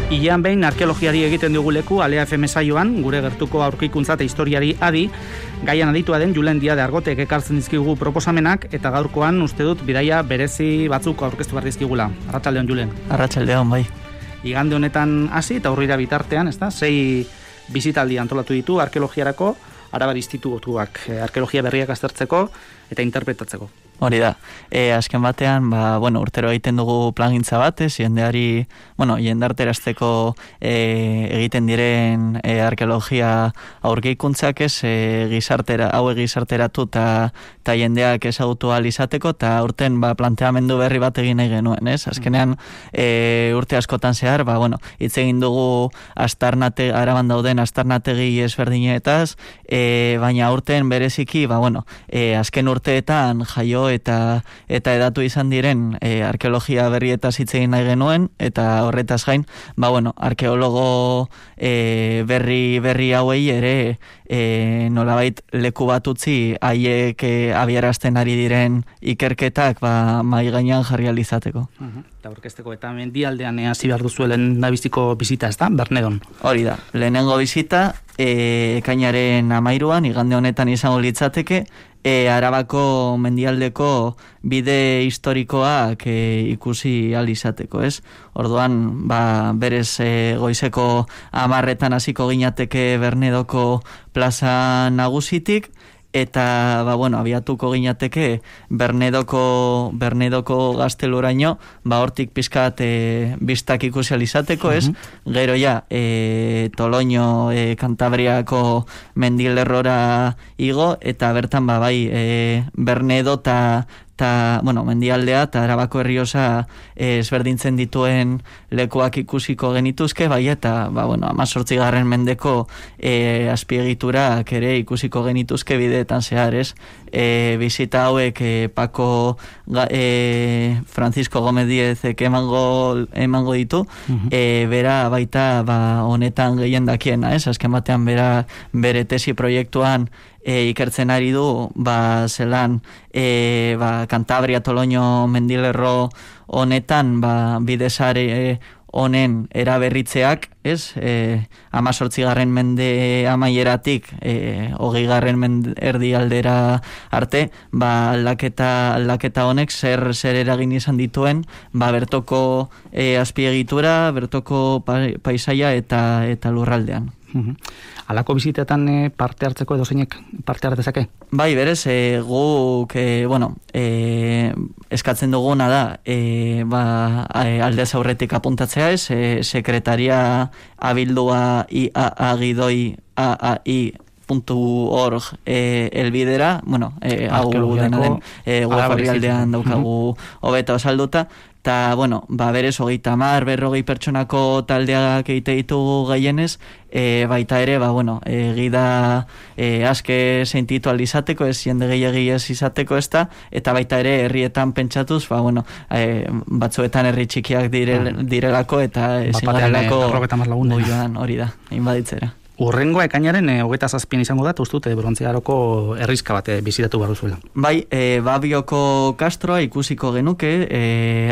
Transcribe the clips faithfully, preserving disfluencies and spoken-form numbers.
Ilean behin arkeologiari egiten dugu leku Alea F M saioan, gure gertuko aurkikuntza eta historiari adi, gaian aditua den Julen Diade Argotek ekartzen dizkigu proposamenak, eta gaurkoan uste dut bidaia berezi batzuk aurkeztu behar dizkigula. Arratsaldeon, Julen. Arratsaldeon, bai. Igande honetan hasi eta aurrera bitartean, ezta? Sei bisitaldi antolatu ditu arkeologiarako, Arabar Institutuak arkeologia berriak aztertzeko eta interpretatzeko. Hori da. E, azken batean, ba, bueno, urtero egiten dugu plangintza batez, jendeari, bueno, jendarterazteko e, egiten diren e, arkeologia aurkikuntzak ez, e, gizartera, hau gizarteratu eta ta jendeak ezagutu ahal izateko, eta urten ba, planteamendu berri bat egin nahi genuen, ez? Azkenean, e, urte askotan zehar, ba, bueno, hitz egin dugu astarnate, araban dauden astarnategi ezberdinetaz, e, baina urten bereziki, ba, bueno, e, azken urteetan jaio eta eta edatu izan diren e, arkeologia berrietaz hitz egin nahi genuen, eta horretaz gain, ba bueno, arkeologo e, berri berri hauei ere e, nolabait leku bat utzi haiek e, abiarazten ari diren ikerketak ba mai gainean jarri ahal izateko. Uh-huh. Eta aurkezteko eta mendialdean hasi behar duzuelen dabiziko bizita, ez da? Bernedon. Hori da. Lehenengo bizita e, ekainaren hamairuan, igande honetan izango litzateke, E, Arabako mendialdeko bide historikoak e, ikusi ahal izateko, ez? Orduan, ba, berez e, goizeko hamarretan hasiko ginateke Bernedoko plaza nagusitik, eta ba bueno, abiatuko ginateke Bernedoko Bernedoko gazteluraino, ba hortik pizkat e, bistak ikusi ahal izateko, ez? Uh-huh. Gero ja, e, Toloño, e, Kantabriako mendilerrora igo, eta bertan ba bai, e, Bernedo ta eta, bueno, mendialdea eta Arabako Errioxa eh, ezberdintzen dituen lekuak ikusiko genituzke, bai, eta, ba, bueno, hamazortzigarren mendeko eh, azpiegiturak ere ikusiko genituzke bideetan zehar, ez? E, bizita hauek eh, Paco eh, Francisco Gómez Diezek emango, emango ditu, uh-huh. e, bera baita ba, honetan gehien dakiena, ez? Azken batean bera bere tesi proiektuan E, ikertzen ari du, ba, zelan, e, ba, Kantabria, Toloño, mendilerro honetan, ba, bidezare honen eraberritzeak, ez, e, amazortzigarren mende amaieratik, e, hogeigarren mende erdi aldera arte, ba, aldaketa, aldaketa honek zer, zer eragin izan dituen, ba, bertoko e, azpiegitura, bertoko pa, paisaia eta, eta lurraldean. Uhum. Alako bizitetan e, parte hartzeko edo zeinek parte hartezake? Bai, berez, e, guk, e, bueno, e, eskatzen duguna da, e, ba, aldez aurretik apuntatzea ez, e, sekretaria abildua i a a gidoi a a i puntu org e, elbidera, bueno, e, hau denaren e, web orrialdean daukagu hobeto salduta, eta, bueno, ba, berez, hogeita hamar, berrogei pertsonako taldeak egite ditugu gehienez, e, baita ere, ba, bueno, e, gida e, aske sentitu alizateko, ez jende gehiagi ez izateko ez da, eta baita ere herrietan pentsatuz, ba, bueno, e, batzuetan herri txikiak dire, direlako, eta ezin garelako goioan, hori da, inbaditzera. Urrengoa ekainaren e, hogeita zazpian izango da, ustut, e, Brontzearoko herrizka bat e, bizitatu behar duzuela. Bai, e, Babioko kastroa ikusiko genuke, e,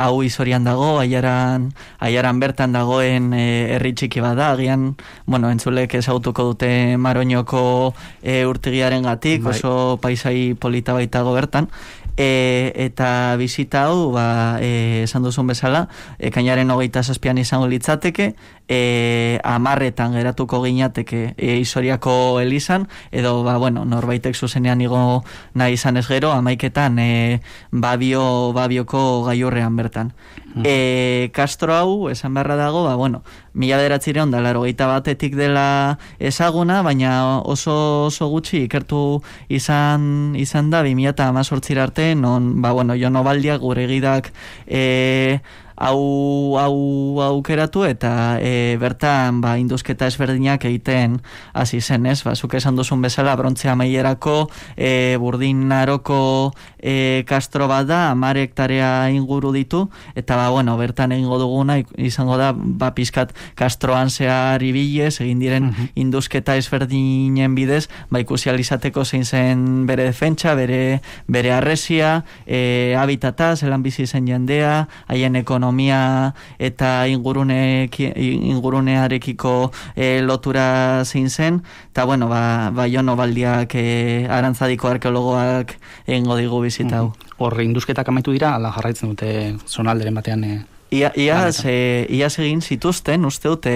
hau izorian dago, aiaran, aiaran bertan dagoen e, herri txiki bat da, agian, bueno, entzulek ezagutuko dute Maroñoko e, urtegiaren gatik, bai. Oso paisai polita baitago bertan, e, eta bizita hau, ba, e, esan duzun bezala, ekainaren hogeita zazpian izango litzateke, e, amarretan geratuko ginateke e, Isoriako elizan, edo, ba, bueno, norbaitek zuzenean igo nahi izan ez gero, amaiketan e, babio, babioko gaiurrean bertan. Mm. E, Castro hau, esan beharra dago, ba, bueno, mila bederatzireun da, laro geita batetik dela ezaguna, baina oso oso gutxi ikertu izan izan da, bi mila hamazortzira arte, non, ba, bueno, Jon Obaldiak gure gidak e, hau hau aukeratu eta e, bertan ba induzketa ezberdinak egiten hasi zen, ez? Ba zuk esan duzun bezala brontze amaierako e, Burdinaroko e, kastro bat da, hamar hektarea inguru ditu eta ba bueno, bertan egingo duguna izango da ba pizkat kastroan zehar ibilez egin diren uh-huh. induzketa ezberdinen bidez, ba ikusi ahal izateko zein zen bere defentsa, bere bere harresia, e, habitata, zelan bizi zen jendea, haien ekonomia ekonomia eta ingurune, ingurunearekiko e, lotura zein zen, eta bueno, ba, ba Jono Baldiak e, Arantzadiko arkeologoak egingo digu bizita hau. Hor, induzketak amaitu dira, ala jarraitzen dute zonalderen batean... E... Ia, iaz, e, iaz egin zituzten, uste dute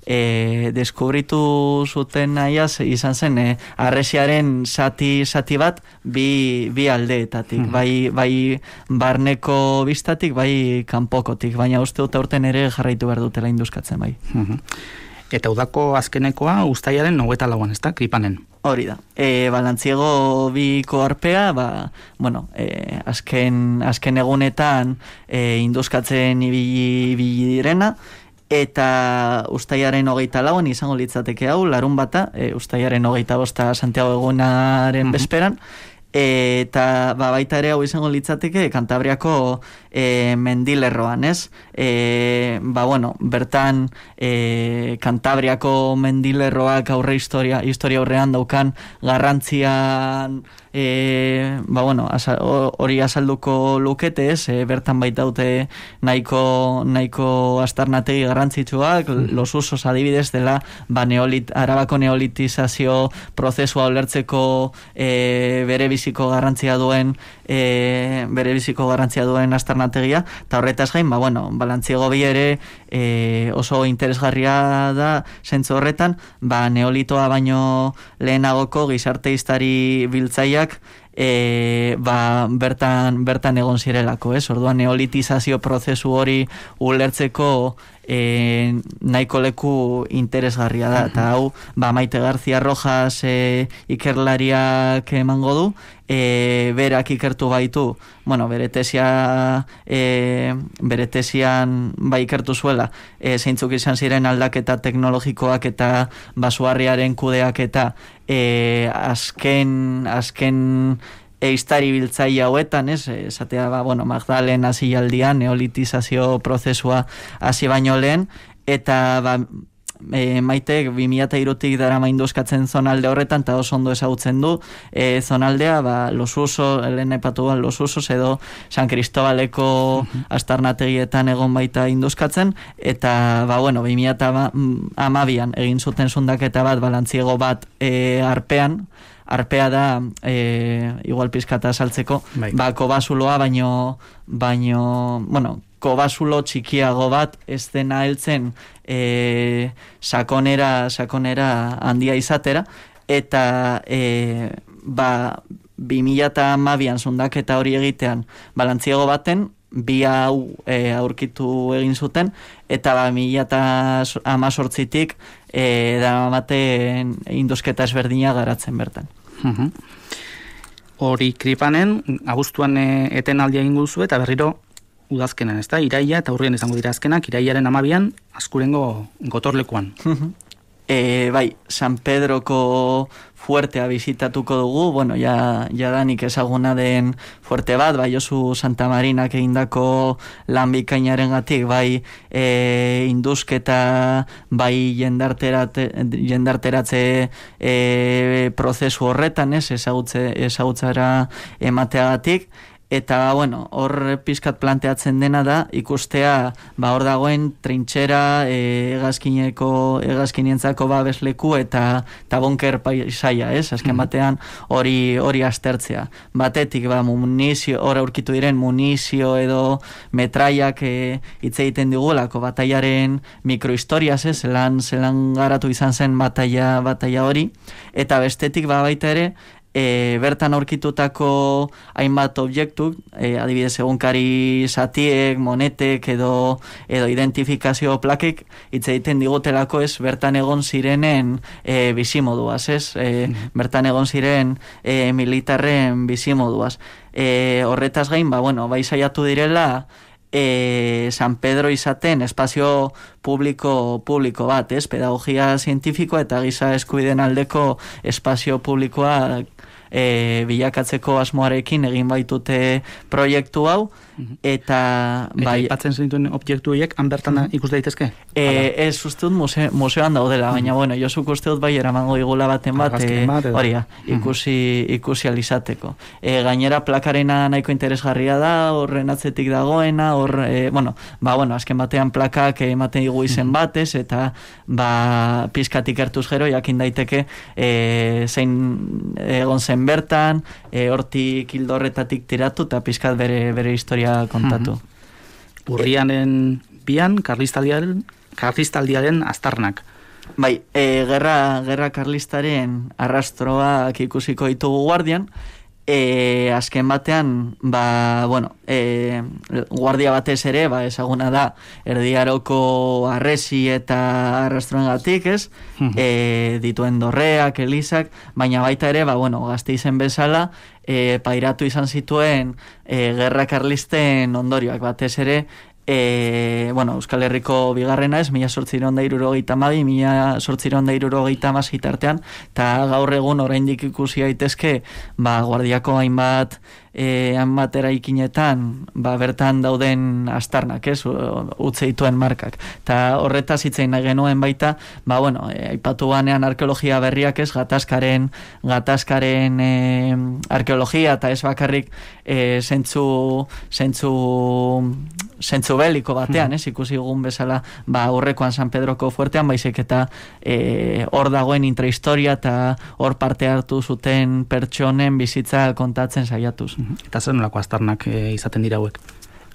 e, deskubritu zuten iaz izan zen e, arresiaren zati, zati bat bi, bi aldeetatik, mm. bai, bai barneko biztatik, bai kanpokotik, baina uste dute aurten ere jarraitu behar dutela induzkatzen bai. Mm-hmm. Eta udako azkenekoa uztailaren hogeita lauan, ez da, Kripanen? Hori da. E, Balantziego biko arpea, ba, bueno, e, azken, azken egunetan e, induzkatzen ibili, ibili direna, eta uztailaren hogeita lauan izango litzateke hau, larun bata, e, uztailaren hogeita bosta Santiago egunaren mm-hmm. bezperan, e, eta ba, baita ere hau izango litzateke Kantabriako e, mendilerroan, ez? E, ba, bueno, bertan e, Kantabriako mendilerroak aurre historia, historia aurrean daukan garrantzian e, ba, bueno, hori azalduko lukete, ez? E, bertan baita dute nahiko, nahiko astarnategi garrantzitsuak, mm. los usos adibidez dela, ba, neolit, Arabako neolitizazio prozesua ulertzeko e, bere biziko garrantzia duen e, bere biziko garrantzia duen astarnategia, eta horretaz gain, ba, bueno, Balantziego bi ere e, oso interesgarria da zentzu horretan, ba, neolitoa baino lehenagoko gizarte hiztari biltzaiak E, ba, bertan, bertan egon zirelako, ez? Orduan neolitizazio prozesu hori ulertzeko e, nahiko leku interesgarria da, eta hau, ba, Maite García Rojas e, ikerlariak emango du, e, berak ikertu baitu, bueno, bere tesia e, bere tesian ba ikertu zuela, e, zeintzuk izan ziren aldaketa teknologikoak eta basuarriaren kudeak eta e, azken azken eiztari biltzaile hauetan, ez, esatea, ba, bueno, Magdalen hasialdian neolitizazio prozesua hasi baino lehen, eta ba, e, Maitek bi mila hirutik darama induzkatzen zonalde horretan, eta oso ondo ezagutzen du e, zonaldea, ba, Los Usos, lehen aipatu Los Usos edo San Cristobaleko uh-huh. astarnategietan egon baita induzkatzen, eta ba, bueno, bi mila hamabian egin zuten zundaketa bat, Balantziego bat e, arpean, arpea da, e, igual pizkata saltzeko, bai. Ba, kobasuloa, baino, baino, bueno, kobasulo txikiago bat ez dena heltzen e, sakonera, sakonera handia izatera, eta e, ba, bi mila hamabian zundaketa hori egitean Balantziego baten, bi hau e, aurkitu egin zuten, eta ba, mila hemezortzitik e, da maten induzketa ezberdina garatzen bertan. Uh-huh. Hori Kripanen, abuztuan e, etenaldia egin guzu eta berriro udazkenan, ez da? Iraia eta urrien izango dira azkenak, iraiaren hamabian Azkurengo gotorlekuan. Uh-huh. E, bai, San Pedroko fuertea bizitatuko dugu, bueno, ja, ja danik ezaguna den fuerte bat, bai Josu Santa Marinak egindako lan bikainaren gatik, bai e, induzketa, bai jendarterate, jendarteratze e, prozesu horretan, ez, ezagutze, ezagutzara emateagatik, eta, bueno, hor pizkat planteatzen dena da, ikustea, ba, hor dagoen trintxera, e, egazkineko, egazkinientzako babesleku eta, eta bunker paisaia, ez? Azken batean hori hori aztertzea. Batetik, ba, munizio, hor aurkitu diren munizio edo metraiak e, hitz egiten digulako, bataiaren mikrohistoriaz, ez? Zelan, zelan garatu izan zen bataia, bataia hori, eta bestetik, ba, baita ere, E, bertan aurkitutako hainbat objektu, e, adibidez egunkari zatiek, monetek edo, edo identifikazio plakek hitz egiten digutelako, ez, bertan egon zirenen e, bizimoduaz, ez, e, mm-hmm. bertan egon ziren e, militarren bizimoduaz. E, horretaz gain, ba, bueno, bai saiatu direla E, San Pedro izaten espazio publiko publiko bat, ez? Pedagogia zientifikoa eta giza eskubideen aldeko espazio publikoa e, bilakatzeko asmoarekin egin baitute proiektu hau, eta... Eta bai, ipatzen zenituen objektu horiek, han bertan ikus daitezke? E, ez uste dut muse, museoan daudela, baina bueno, Josuk uste dut bai eramango igula baten bat, e, horia, ikusi, ikusi alizateko. E, gainera plakarena nahiko interesgarria da, horren atzetik dagoena, hor, e, bueno, ba, bueno, azken batean plakak ematen igu izen batez, eta ba, pizkatik hartuz gero, jakin daiteke e, zein egon zen bertan, e, hortik hildorretatik tiratu, eta pizkat bere, bere historia kontatu. Urrianen bian, karlistaldiaren, karlistaldiaren aztarnak. Bai, e, gerra, gerra karlistaren arrastroak ikusiko ditugu guardian, e, azken batean, ba, bueno, e, guardia batez ere, ba, ezaguna da, erdiaroko arresi eta arrastroengatik, ez? E, dituen dorreak, elizak, baina baita ere, ba, bueno, Gasteizen bezala, e, pairatu izan zituen e, gerra karlisten ondorioak batez ere, E, bueno, Euskal Herriko bigarrena ez, mila sortziron da irurogeita mabi, mila sortziron da irurogeita mazit artean, eta gaur egun oraindik ikusi daitezke, ba, guardiako hainbat e, hainbat eraikinetan, ba, bertan dauden astarnak, ez, utze dituen markak. Eta horretaz hitzein nahi genuen baita, ba, bueno, e, aipatu banean arkeologia berriak ez, gatazkaren, gatazkaren e, arkeologia, eta ez bakarrik e, zentzu, zentzu, zentzu beliko batean, ez, ikusi egun bezala, ba, aurrekoan San Pedroko fuertean, baizik eta e, hor dagoen intrahistoria eta hor parte hartu zuten pertsonen bizitza kontatzen saiatuz. Eta zer nolako aztarnak e, izaten dira hauek?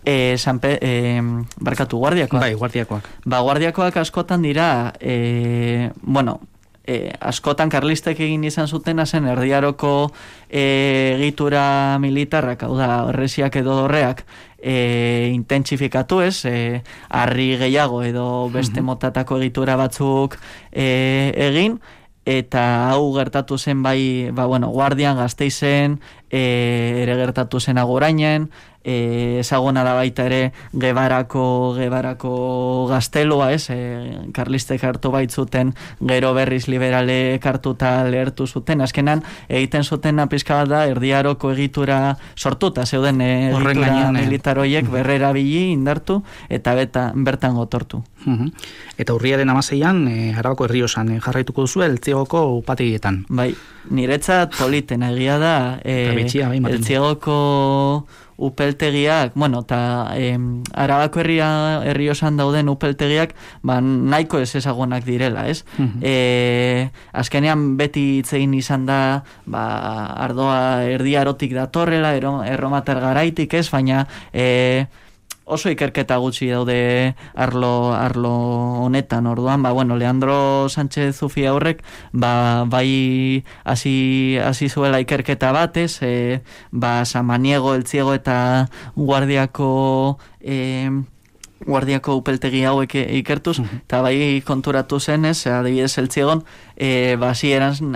E, Sanpe, e, barkatu, guardiakoak. Bai, guardiakoak. Ba, guardiakoak askotan dira, e, bueno, e, askotan karlistek egin izan zuten zen erdiaroko e, egitura militarrak, hau da, erresiak edo dorreak, e, intentsifikatu ez, e, harri gehiago edo beste motatako egitura batzuk e, egin, eta hau gertatu zen bai, ba, bueno, Guardian, Gasteizen, e, ere gertatu zen Agorainen, e, ezaguna da baita ere Gebarako, Gebarako gaztelua, ez, e, karlistek hartu baitzuten, gero berriz liberale hartuta lehertu zuten, azkenan egiten zuten pizka bat da erdiaroko egitura sortuta, zeuden e, egitura militar horiek berrera bili indartu, eta beta, bertan gotortu. Uh-huh. Eta urriaren amaseian, e, Arabako Errioxan e, jarraituko duzu Eltziegoko upategietan. Bai, niretzat politen egia da, e, Eltziegoko upeltegiak, bueno, eta eh, Arabako herria, Errioxan dauden upeltegiak, ba, nahiko ez ezagunak direla, ez? Uh-huh. E, azkenean beti itzein izan da, ba, ardoa erdiarotik datorrela, erromatar garaitik, ez? Baina, e, oso ikerketa gutxi daude arlo, arlo honetan, orduan, ba, bueno, Leandro Sánchez Zufia horrek, ba, bai hasi hasi zuela ikerketa batez, e, ba, Samaniego, Eltziego eta Guardiako e, Guardiako upeltegi hauek ikertuz, eta bai konturatu zenez, adibidez Eltziegon, e, ba, hasieran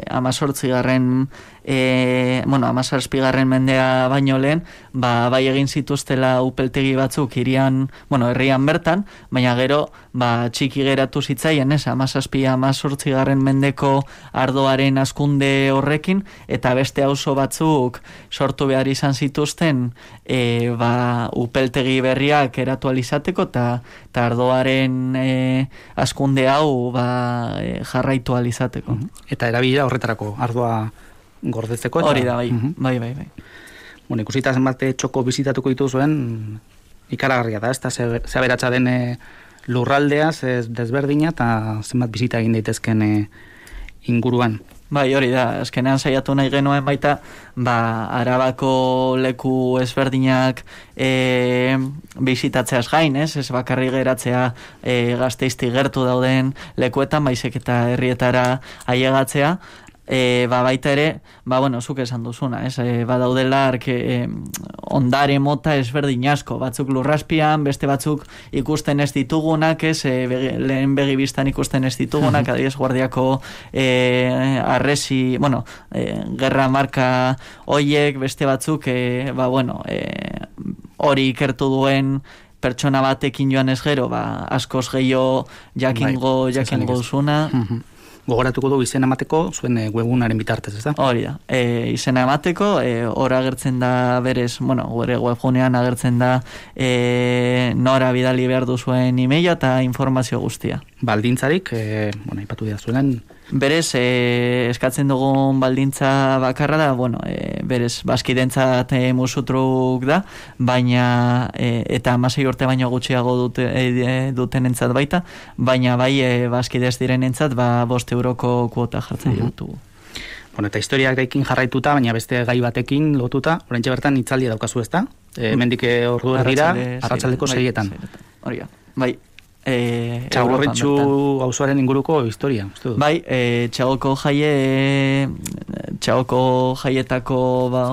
amazortzigarren E, bueno, amazazpigarren mendea baino lehen, ba, bai egin zituztela upeltegi batzuk hirian, bueno, herrian bertan, baina gero, ba, txiki geratu zitzaien, ez, amazazpi, amazortzigarren mendeko ardoaren askunde horrekin, eta beste auzo batzuk sortu behar izan zituzten, e, ba, upeltegi berriak eratu alizateko, eta ardoaren e, askunde hau, ba, e, jarraitu alizateko. Eta erabila horretarako, ardoa gordetzeko. Hori da, bai, uh-huh. bai, bai, bai. Bueno, ikusita zenbat txoko bizitatuko dituzuen, ikaragarria da, ez da, ze aberatsa den e, lurraldea, ze desberdina, eta zenbat bizita egin daitezken e, inguruan. Bai, hori da, azkenean saiatu nahi genuen baita, ba, Arabako leku ezberdinak e, bizitatzeaz gain, ez? Ez bakarri geratzea e, Gasteizti gertu dauden lekuetan, baizik eta herrietara ailegatzea. E, ba, baita ere, ba, bueno, zuk esan duzuna, ez? E, ba, daudela arke, e, ondare mota ezberdin asko, batzuk lurraspian, beste batzuk ikusten ez ditugunak, ez? E, begi, lehen begibistan ikusten ez ditugunak, adibidez Guardiako e, arresi, bueno, e, gerra marka hoiek, beste batzuk, e, ba, bueno, e, hori ikertu duen pertsona batekin joan ez gero, ba, askoz gehiago jakingo, bai, jakingo duzuna. gogoratuko du izena emateko zuen e, webgunaren bitartez, ez da? Hori da, e, izena emateko, e, hor agertzen da berez, bueno, gure webgunean agertzen da e, nora bidali behar duzuen e-maila eta informazio guztia. Baldintzarik, e, bueno, ipatu dira zuen, berez, e, eskatzen dugun baldintza bakarra da, bueno, e, berez, baskidentzat e, musutruk da, baina, e, eta amasei urte baino gutxiago dute, e, dutenentzat baita, baina bai e, baskidez direnentzat, ba, bost euroko kuota jartzen uh-huh. ditugu. Bueno, eta historiarekin jarraituta, baina beste gai batekin lotuta, oraintxe bertan hitzaldia daukazu, ezta? E, mendik ordu erdira, arratsaldeko seietan. Hori da, bai. E, Txagorritxu auzoaren inguruko historia, uste dut. Bai, e, txagoko jaie txagoko jaietako ba,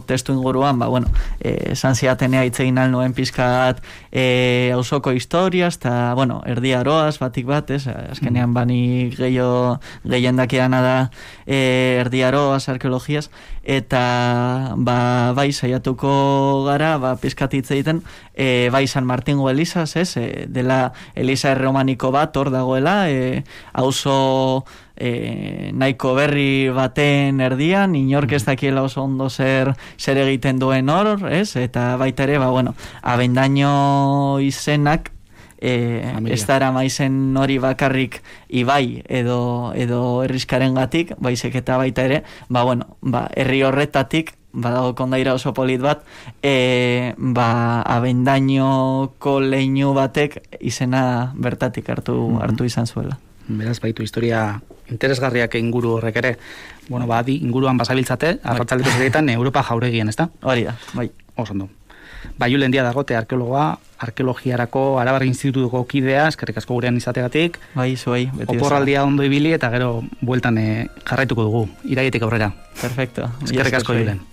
testu inguruan, ba, bueno, e, esan ziatenea itzegin alnoen pizkat e, auzoko historiaz, eta, bueno, erdi aroaz, batik bat, ez, azkenean bani gehiago gehiendakeana da e, erdi aroaz, arkeologiaz, eta, ba, bai, saiatuko gara, ba, pizkat hitz egiten, e, bai, San Martingo Elizaz, ez, e, dela Eliza erromaniko bat hor dagoela, e, auzo e, nahiko berri baten erdian, inork ez dakiela oso ondo zer zer egiten duen hor, ez? Eta baita ere, ba, bueno, Abendaño izenak e, ez dara maizen hori bakarrik ibai edo, edo herrizkaren gatik, baizek eta baita ere, ba, bueno, ba, herri horretatik badago kondaira oso polit bat, e, ba, Abendañoko leinu batek izena bertatik hartu, mm-hmm. hartu izan zuela. Beraz, baitu historia interesgarriak inguru horrek ere. Bueno, ba, di, inguruan basabiltzate, arratzaldeko seietan Europa jauregian, ezta? Hori da, bai. Oso ondo. Ba, Julen Díaz Argote, arkeologoa, arkeologiarako Arabar Institutuko kidea, eskerrik asko gurean izategatik. Bai, zuei. Oporraldia ondo ibili eta gero bueltan e, jarraituko dugu, iraietik aurrera. Perfecto. Eskerrik asko, Julen.